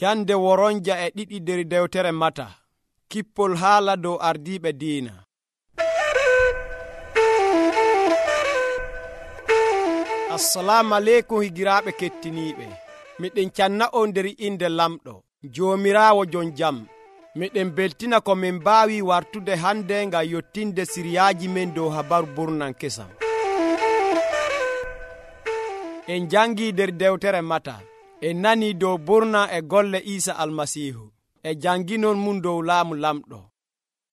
Cande woronja e ɗiɗi nder dewtere Mata. Kippol haala dow ardiiɓe diina. Assalamu aleykum higiraaɓe kettiniiɓe. Miɗen canna on nder inde lamɗo, Joomiraawo jon jam. Miɗen beltina ko min mbaawi wartude hande ngam yottinde siriyaaji men dow habaru burnan kesam. En jangii nder dewtere Mata. En nanii dow burna e golle Iisa Almasiihu. E janginon mum dow laamu lamɗo.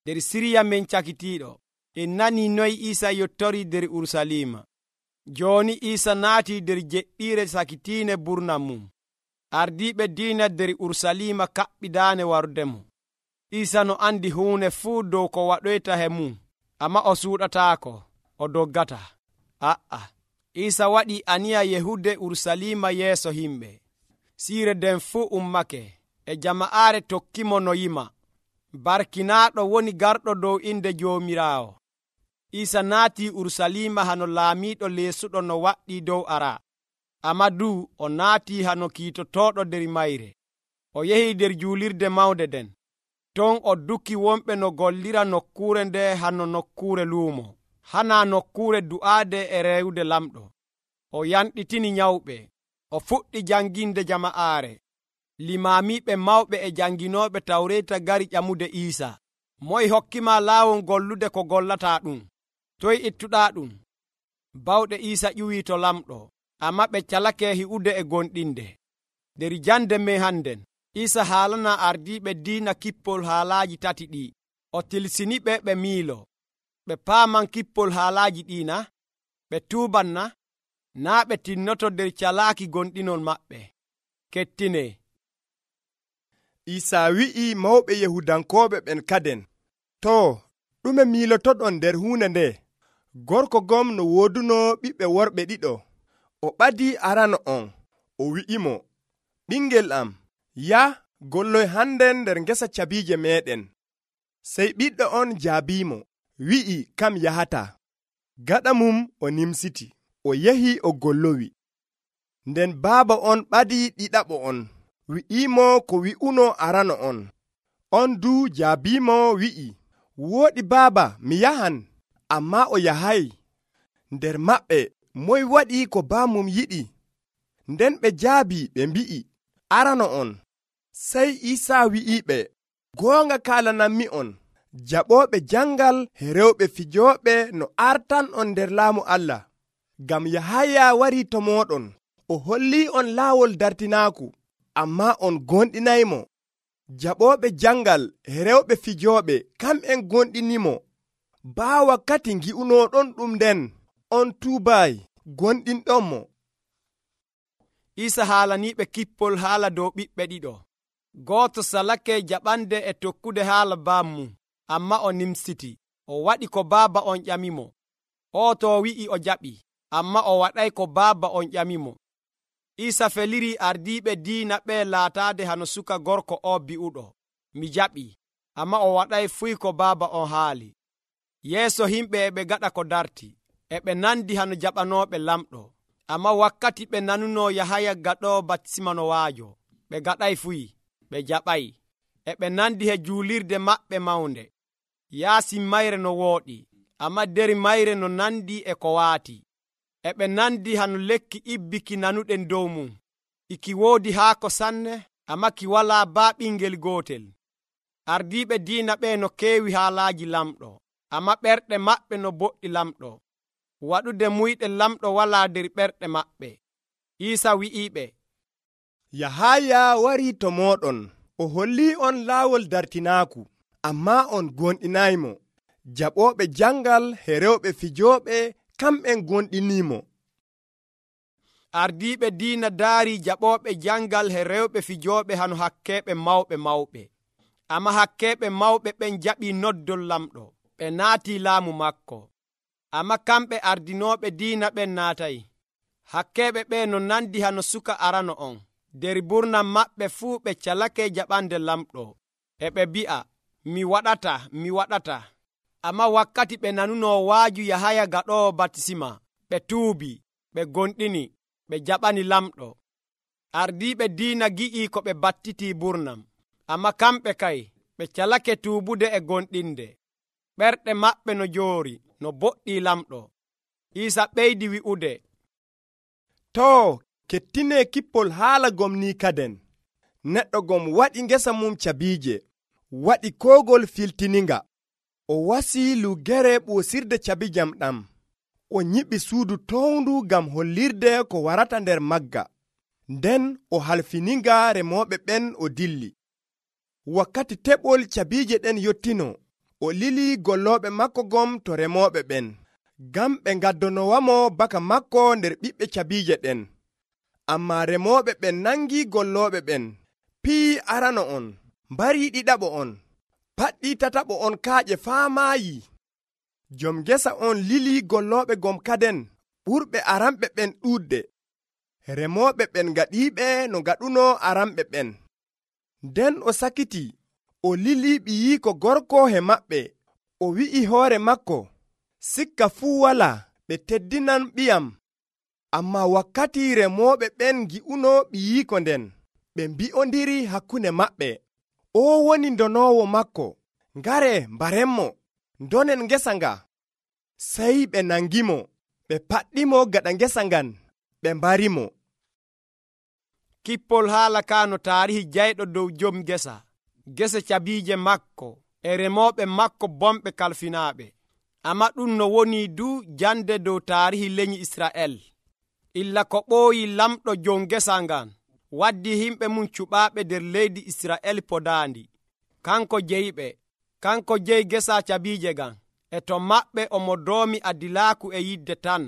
Nder siriya men cakitiiɗo, en nanii noy Iisa yottori nder Urusalima. Jooni Iisa naatii nder jeɗɗiire sakitiine burna mum. Ardiiɓe diina nder Urusalima kaɓɓidaane warudemo. Iisa no andi huune fuu dow ko waɗoyta he mum, ammaa o suuɗataako, o doggata. Iisa waɗii aniya yahude Urusalima yeeso himɓe. Siire nden fuu ummake, e jama'aare tokkimo no yima. Barkinaaɗo woni garɗo dow inde Joomiraawo. Iisa naatii Urusalima hano laamiiɗo leesuɗo no waɗɗii dow ara. Amadu o naatii hano kiitotooɗo nder mayre. O yehii nder juulirde mawnde nden. Ton o dukki wonɓe no gollira nokkuure nde hano nokkuure luumo, hana nokkuure du'aade e rewde lamɗo. O yanɗitini nyawɓe. O fuɗɗi janginde jama'aare. Limaamiiɓe mawɓe e janginooɓe Tawreeta gari ƴamude Iisa. Moye hokkima laawol gollude ko gollataa ɗum? Toye ittuɗaa ɗum? Bawɗe Iisa ƴuwii to lamɗo, ammaa ɓe calake hi'ude e gonɗinde. Nder jande men hannden, Iisa haalana ardiiɓe diina kippol haalaaji tati ɗi. O tilsiniɓe ɓe miilo. Ɓe paaman kippol haalaaji ɗiina, ɓe tuubanna, naa ɓe tinnoto nder calaaki gonɗinol maɓɓe. Kettine. Iisa wi'i mawɓe Yahudankooɓe ɓen kaden, too, ɗume miilotoɗon nder huunde nde? Gorko gom no wooduno ɓiɓɓe worɓe ɗiɗo. O ɓadii arano on, o wi'imo, ɓingel am, yah golloy hannden nder ngesa cabiije meeɗen. Sey ɓiɗɗo on jaabiimo, wi'i kam yahata. Gaɗa mum o nimsiti, o yahi o gollowi. Nden baaba on ɓadii ɗiɗaɓo on, wi'iimo ko wi'uno arano on. On duu jaabiimo wi'i, wooɗi baaba, mi yahan. Ammaa o yahay. Nder maɓɓe moy waɗi ko baamum yiɗi? Nden ɓe jaabi ɓe mbi'i, arano on. Sey Iisa wi'iɓe, goonga kaalanammi on, jaɓooɓe jangal e rewɓe fijooɓe no artan'on nder laamu Allah. Ngam Yahaya warii to mooɗon, o hollii on laawol dartinaaku, ammaa on gonɗinaymo. Jaɓooɓe jangal e rewɓe fijooɓe kamɓen gonɗinimo. Baa wakkati ngi'unooɗon ɗum nden, on tuubaay gonɗinɗonmo. Iisa haalaniiɓe kippol haala dow ɓiɓɓe ɗiɗo. Gooto salake jaɓande e tokkude haala baamum, ammaa o nimsiti. O waɗi ko baaba on ƴamimo. O to wi'i o jaɓi, ammaa o waɗay ko baaba on ƴamimo. Iisa feliri ardiiɓe diina ɓe laataade hano suka gorko o bi'uɗo, mi jaɓi, ammaa o waɗay fuy ko baaba on haali. Yeeso himɓe e ɓe gaɗa ko darti, e ɓe nandi hano jaɓanooɓe lamɗo. Ammaa wakkati ɓe nanuno Yahaya gaɗoowo batisma no waajo, ɓe gaɗay fuy, ɓe jaɓay. E ɓe nandi he juulirde maɓɓe mawnde. Yaasi mayre no wooɗi, ammaa nder mayre no nandi e ko waati. E ɓe nandi hano lekki ibbiki nanuɗen dow mum. Iki woodi haako sanne, ammaa ki walaa baa ɓingel gootel. Ardiiɓe diina ɓe no keewi haalaaji lamɗo, ammaa ɓerɗe maɓɓe no boɗɗi lamɗo. Waɗude muyɗe lamɗo walaa nder ɓerɗe maɓɓe. Iisa wi'iɓe, Yahaya warii to mooɗon, o hollii on laawol dartinaaku, ammaa on gonɗinaymo. Jaɓooɓe jangal e rewɓe fijooɓe kamɓen gonɗinimo. Ardiiɓe diina daari jaɓooɓe jangal e rewɓe fijooɓe hano hakkeeɓe mawɓe. Ammaa hakkeeɓe mawɓe ɓen jaɓii noddol lamɗo, ɓe naatii laamu makko. Ammaa kamɓe ardinooɓe diina ɓen naatay. Hakkeeɓe ɓe no nandi hano suka arano on. Nder burnam maɓɓe fuu ɓe calake jaɓande lamɗo. E ɓe mbi'a, mi waɗata. Ammaa wakkati ɓe nanuno waaju Yahaya gaɗoowo batisma, ɓe tuubi, ɓe gonɗini, ɓe jaɓani lamɗo. Ardiiɓe diina gi'ii ko ɓe battitii Burnam, amma kamɓe kay ɓe calake tuubude e gonɗinde. Ɓerɗe maɓɓe no joori no boɗɗii lamɗo. Iisa ɓeydi wi'ude, too kettinee kippol haala gom ni kaden. Neɗɗo gom waɗi ngesa mum cabiije, waɗi koogol filtininga. O wasii lugere ɓoosirde cabijam ɗam. O nyiɓi suudu towndu ngam hollirde ko warata nder magga. Nden o halfininga remooɓe ɓen o dilli. Wakkati teɓol cabiije ɗen yottino, o lili gollooɓe makko gom to remooɓe ɓen, ngam ɓe ngaddonowamo baka makko nder ɓiɓɓe cabiije ɗen. Ammaa remooɓe ɓen nangi gollooɓe ɓen, pii arano on, mbarii ɗiɗaɓo on, paɗɗii tataɓo on kaaƴe faamaayi. Jom gesa on lili gollooɓe gom kaden ɓurɓe aranɓe ɓen ɗuuɗde. Remooɓe ɓen gaɗiiɓe no gaɗuno aranɓe ɓen. Nden o sakiti, o lili ɓiyiiko gorko he maɓɓe, o wi'i hoore makko, sikka fuu walaa, ɓe teddinan ɓiyam. Ammaa wakkati remooɓe ɓen ngi'uno ɓiyiiko nden, ɓe mbi'ondiri hakkunde maɓɓe, o woni ndonoowo makko, ngare mbarenmo, ndonen ngesa nga. Sey ɓe nangimo, ɓe paɗɗimo gaɗa ngesa ngan, ɓe mbarimo. Kippol haala ka no taarihi jayɗo dow jom gese cabiije makko e remooɓe makko bomɓe kalfinaaɓe. Amma ɗum no woni du jande dow taarihi lenyi Isra'el. Illa ko ɓooyi lamɗo jom gesa ngan waddi himɓe mum cuɓaaɓe nder leydi Isra'el podaandi. Kanko jeyiɓe, kanko jeyi gesa cabiije ngan, e to maɓɓe omo doomi adilaaku e yidde tan.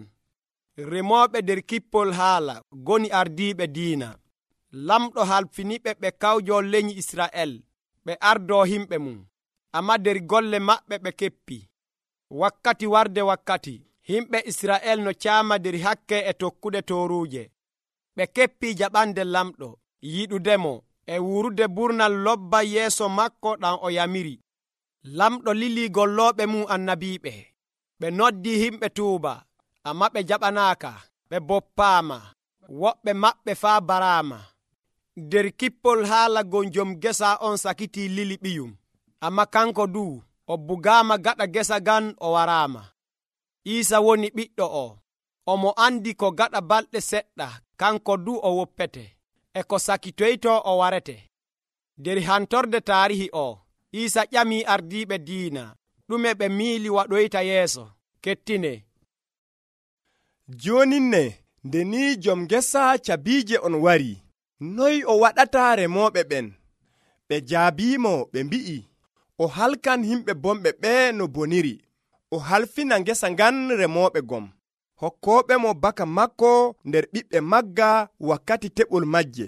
Remooɓe nder kippol haala goni ardiiɓe diina. Lamɗo halfiniɓe ɓe kawjol lenyi Isra'el, ɓe ardoo himɓe mum, amma nder golle maɓɓe ɓe keppi. Wakkati warde wakkati, himɓe Isra'el no caama nder hakke e tokkude tooruuje. Ɓe keppi jaɓande lamɗo, yiɗudemo, e wurude burnal lobba yeeso makko ɗam o yamiri. Lamɗo lili gollooɓe mum annabiiɓe. Ɓe noddi himɓe tuuba, amma ɓe jaɓanaaka, ɓe boppaama, woɓɓe maɓɓe faa baraama. Nder kippol haala gon jom gesa on sakiti lili ɓiyum, amma kanko du o bugaama gaɗa gesa gan o waraama. Iisa woni ɓiɗɗo o, omo andi ko gaɗa balɗe seɗɗa kanko du o woppete, e ko sakitoyto o warete. Nder hantorde taarihi o, Iisa ƴamii ardiiɓe diina ɗume ɓe miili waɗoyta yeeso. Kettine. Jooninne nde ni jom gesa cabiije on wari, noy o waɗata remooɓe ɓen? Ɓe jaabiimo ɓe mbi'i, o halkan himɓe bomɓe ɓe no boniri. O halfina ngesa ngan remooɓe gom, hokkooɓe mo baka makko nder ɓiɓɓe magga wakkati teɓol majje.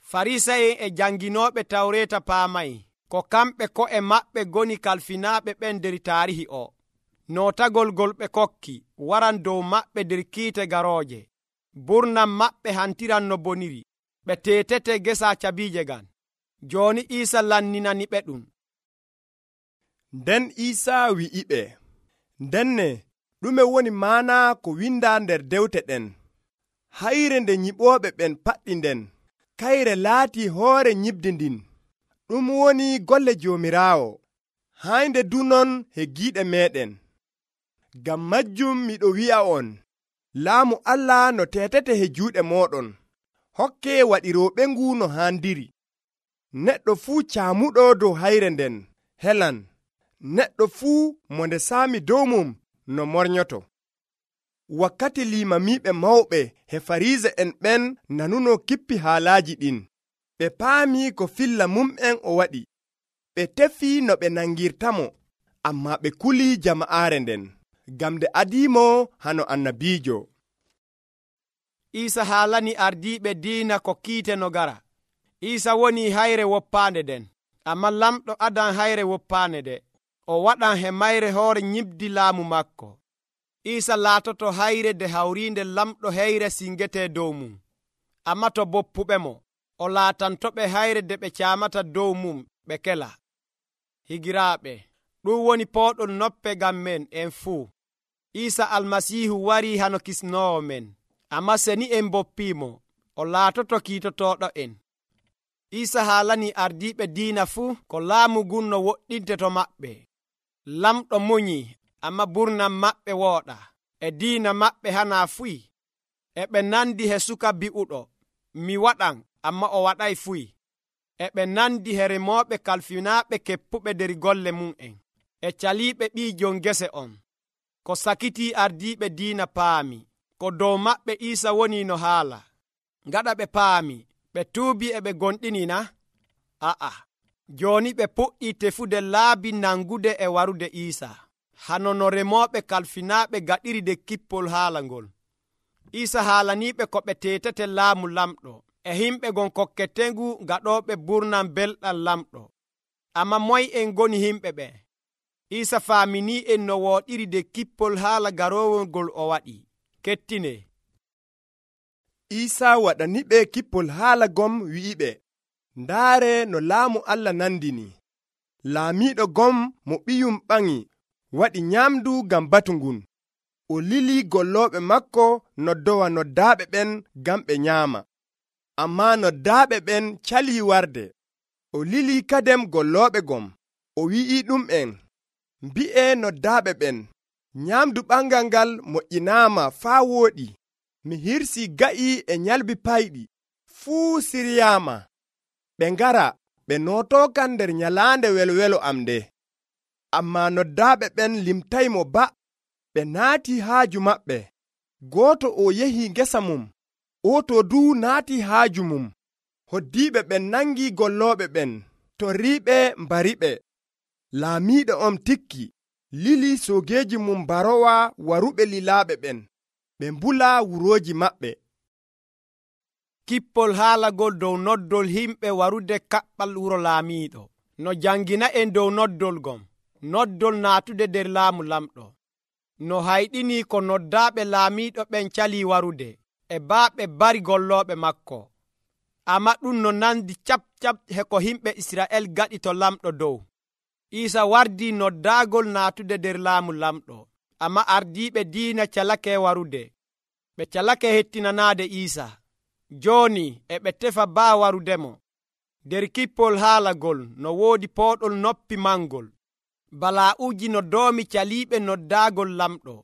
Farisa'en e janginooɓe tawreeta paamay ko kamɓe ko'e maɓɓe goni kalfinaaɓe ɓen nder taarihi o. Nootagol gol ɓe kokki waran dow maɓɓe nder kiite garooje. Burnam maɓɓe hantiran no boniri. Ɓe teetete gesa cabiije ngan. Jooni Iisa lanninani ɓe ɗum. Nden Iisa wi'iɓe, ndenne ɗume woni maana ko winda nder dewte ɗen? Hayre nde nyiɓooɓe ɓen paɗɗi nden, kayre laati hoore nyiɓdi ndin. Ɗum woni golle Joomiraawo, haynde du non he giiɗe meeɗen. Ngam majjum miɗo wi'a on, laamu Allah no teetete he juuɗe mooɗon, hokke waɗirooɓe ngu no haandiri. Neɗɗo fuu caamuɗo dow hayre nden helan, neɗɗo fuu mo nde saami dow mum no mornyoto. Wakkati limamiiɓe mawɓe he Farise'en ɓen nanuno kippi haalaaji ɗin, ɓe paami ko filla mum'en o waɗi. Ɓe tefi no ɓe nangirtamo, ammaa ɓe kuli jama'aare nden, ngam nde adiimo hano annabiijo. Iisa haalani ardiiɓe diina ko kiite no gara. Iisa woni hayre woppaande nden, amma lamɗo adan hayre woppaande nde. O waɗan he mayre hoore nyiɓdi laamu makko. Iisa laatoto hayre nde hawriinde lamɗo heyre singete dow mum, amma to boppuɓe mo, o laatantoɓe hayre nde ɓe caamata dow mum ɓe kela. Higiraaɓe, ɗum woni pooɗol noppe ngam men en fuu. Iisa almasiihu warii hano kisnoowo men, amma seni en boppiimo, o laatoto kiitotooɗo en. Iisa haalani ardiiɓe diina fuu ko laamu ngun no woɗɗinte to maɓɓe. Lamɗo munyi, amma burnam maɓɓe wooɗa. E diina maɓɓe hanaa fuy. E ɓe nandi he suka bi'uɗo, mi waɗan, amma o waɗay fuy. E ɓe nandi he remooɓe kalfinaaɓe keppuɓe nder golle mum'en. E caliiɓe ɓii jon gese on. Ko sakitii ardiiɓe diina paami, ko dow maɓɓe Iisa woni no haala. Gaɗa ɓe paami, ɓe tuubi e ɓe gonɗini na? A'a, jooni ɓe puɗɗii tefude laabi nangude e warude Iisa, hano no remooɓe kalfinaaɓe gaɗiri de kippol haala ngol. Iisa haalaniiɓe ko ɓe teetate laamu lamɗo, e himɓe gon kokketengu gaɗooɓe burnam belɗam lamɗo. Amma moy en ngoni himɓe ɓe? Iisa faaminii en no wooɗiri de kippol haala garoowol ngol o waɗi. Kettine. Iisa waɗaniɓe kippol haala gom wi'iɓe, ndaare no laamu Allah nandini. Laamiiɗo gom mo ɓiyum ɓaŋi waɗi nyamdu ngam batu ngun. O lili gollooɓe makko noddowa noddaaɓe ɓen ngam ɓe nyaama. Ammaa noddaaɓe ɓen calii warde. O lili kadem gollooɓe gom. O wi'i ɗum'en, mbi'e noddaaɓe ɓen, nyamdu ɓangal ngal moƴƴinaama faa wooɗi. Mi hirsii ga'i e nyalbi payɗi. Fuu siryaama. Ɓe ngara ɓe nootookan nder nyalaande welwelo am nde. Ammaa noddaaɓe ɓen limtaymo ba. Ɓe naatii haaju maɓɓe. Gooto o yehi ngesa mum, ooto duu naatii haaju mum. Hoddiiɓe ɓen nangi gollooɓe ɓen, torriiɓe mbariɓe. Laamiiɗo on tikki, lili soogeeji mum barowa waruɓe lilaaɓe ɓen. Ɓe mbula wurooji maɓɓe. Kippol haalagol dow noddol himɓe warude kaɓɓal wuro laamiiɗo. No jangina en dow noddol gom, noddol naatude nder laamu lamɗo. No hayɗinii ko noddaaɓe laamiiɗo ɓen calii warude, e baaɓe bari gollooɓe makko. Amma ɗum no nandi cap he ko himɓe Isra'el gaɗi to lamɗo dow. Iisa wardii noddaagol naatude nder laamu lamɗo, amma ardiiɓe diina calake warude. Ɓe calake hettinanaade Iisa. Jooni e ɓe tefa baa warudemo. Nder kippol haalagol no woodi pooɗol noppi mangol. Balaa'uuji no doomi caliiɓe noddaagol lamɗo.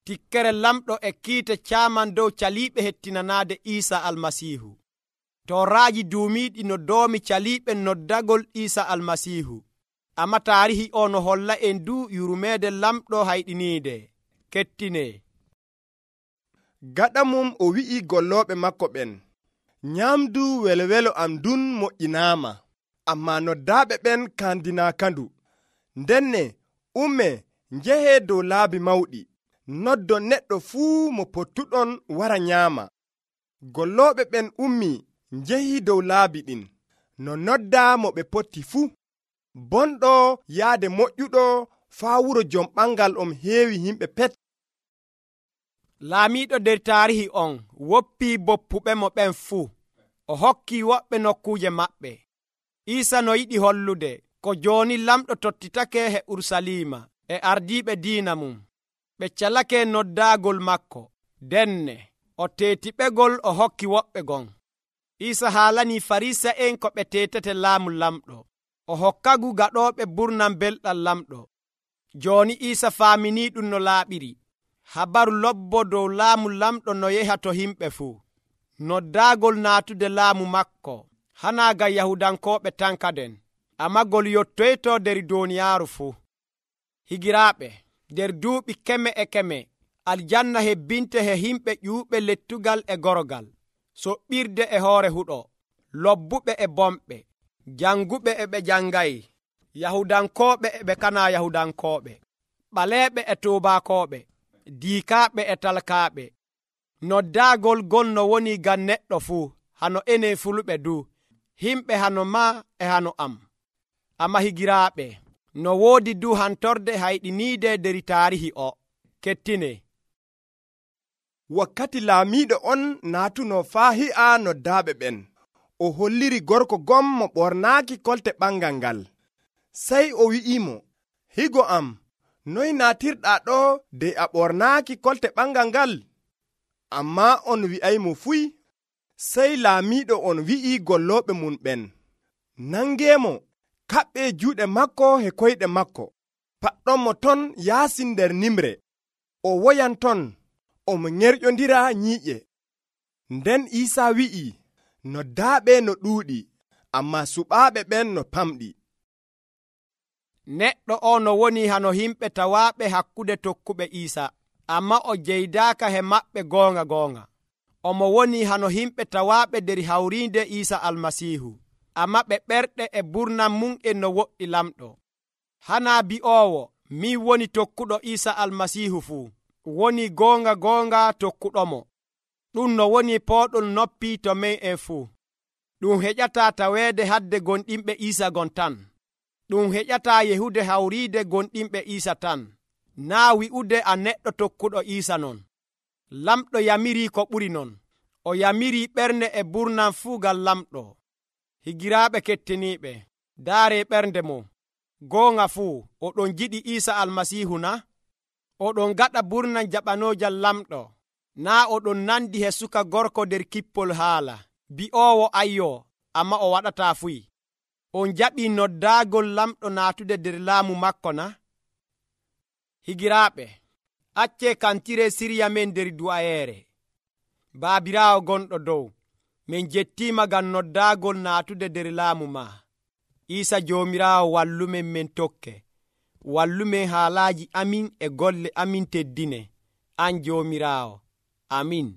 Tikkere lamɗo e kiite caaman dow caliiɓe hettinanaade Iisa Almasiihu. Tooraaji duumiiɗi no doomi caliiɓe noddagol Iisa Almasiihu. Amma taarihi o no holla en du yurmeede lamɗo hayɗiniide. Kettine. Gaɗa mum o wi'i gollooɓe makko ɓen, nyamdu welwelo am dun moƴƴinaama, ammaa noddaaɓe ɓen kandinaakandu. Ndenne umme njehee dow laabi mawɗi, noddon neɗɗo fuu mo pottuɗon wara nyaama. Gollooɓe ɓen ummi njehii dow laabi ɗin, no noddaa mo ɓe potti fuu. Bonɗo yaade moƴƴuɗo faa wuro jom ɓangal on heewi himɓe pet. Laamiiɗo nder taarihi on woppii boppuɓe mo ɓen fuu. O hokkii woɓɓe nokkuuje maɓɓe. Iisa no yiɗi hollude ko jooni lamɗo tottitake he Urusalima e ardiiɓe diina mum. Ɓe calake noddaagol makko. Denne o teetiɓegol o hokki woɓɓe gon. Iisa haalanii Farisa'en ko ɓe teetate laamu lamɗo. O hokkagu gaɗooɓe burnam belɗam lamɗo. Jooni Iisa faaminii ɗum no laaɓiri. Habaru lobbo dow laamu lamɗo no yeha to himɓe fuu. Noddaagol naatude laamu makko hanaa ngam Yahudankooɓe tan kaden, amma gol yottoyto nder duuniyaaru fuu. Higiraaɓe, nder duuɓi keme e keme, aljanna hebbinte he himɓe ƴuuɓe lettugal e gorogal, soɓɓirde e hoore huɗo, lobbuɓe e bomɓe, janguɓe e ɓe jangayi, Yahudankooɓe e ɓe kanaa Yahudankooɓe, ɓaleeɓe e tuubaakooɓe, diikaaɓe e talkaaɓe. Noddaagol gon no woni ngam neɗɗo fuu, hano enen fulɓe du, himɓe hano ma e hano am. Amma higiraaɓe, no woodi du hantorde hayɗiniide nder taarihi o. Kettine. Wakkati laamiiɗo on naatuno faa hi'a noddaaɓe ɓen. O holliri gorko gom mo ɓornaaki kolte ɓangal ngal. Sey o wi'imo, higo am, noy naatirɗaa ɗo dey a ɓornaaki kolte ɓangal ngal? Ammaa on wi'aymo fuy. Sey laamiiɗo on wi'i gollooɓe mum ɓen, nangeemo, kaɓɓe juuɗe makko e koyɗe makko, paɗɗonmo ton yaasi nder nimre. O woyan ton, omo nyerƴondira nyiiƴe. Nden Iisaa wi'i, noddaaɓe no ɗuuɗi, ammaa suɓaaɓe ɓen no pamɗi. Neɗɗo o no woni hano himɓe tawaaɓe hakkude tokkuɓe Iisa, ammaa o jeydaaka he maɓɓe goonga. Omo woni hano himɓe tawaaɓe nder hawriinde Iisa Almasiihu, ammaa ɓe ɓerɗe e burnam mum e no woɗɗi lamɗo. Hanaa bi'oowo, min woni tokkuɗo Iisa Almasiihu fuu, woni goonga tokkuɗomo. Ɗum no woni pooɗol noppi to men en fuu. Ɗum heƴataa taweede hadde gonɗinɓe Iisa gon tan. Ɗum heƴataa yehude hawriide gonɗinɓe Iisa tan, naa wi'ude a neɗɗo tokkuɗo Iisa non. Lamɗo yamirii ko ɓuri non. O yamirii ɓernde e burnam fuu ngam lamɗo. Higiraaɓe kettiniiɓe, daaree ɓernde mo. Goonga fuu, oɗon jiɗi Iisa Almasiihu na? Oɗon gaɗa burnam jaɓanoojam lamɗo. Naa oɗon nandi he suka gorko nder kippol haala, bi'oowo ayyo, ammaa o waɗataa fuyi. On jaɓii noddaagol lamɗo naatude nder laamu makko na? Higiraaɓe, accee kantire sirya men nder du'ayeere. Baabiraawo gonɗo dow, min jettiima ngam noddaagol naatude nder laamu ma. Iisa Joomiraawo wallumen men tokke. Wallumen haalaaji amin e golle amin teddine. An Joomiraawo. Amin.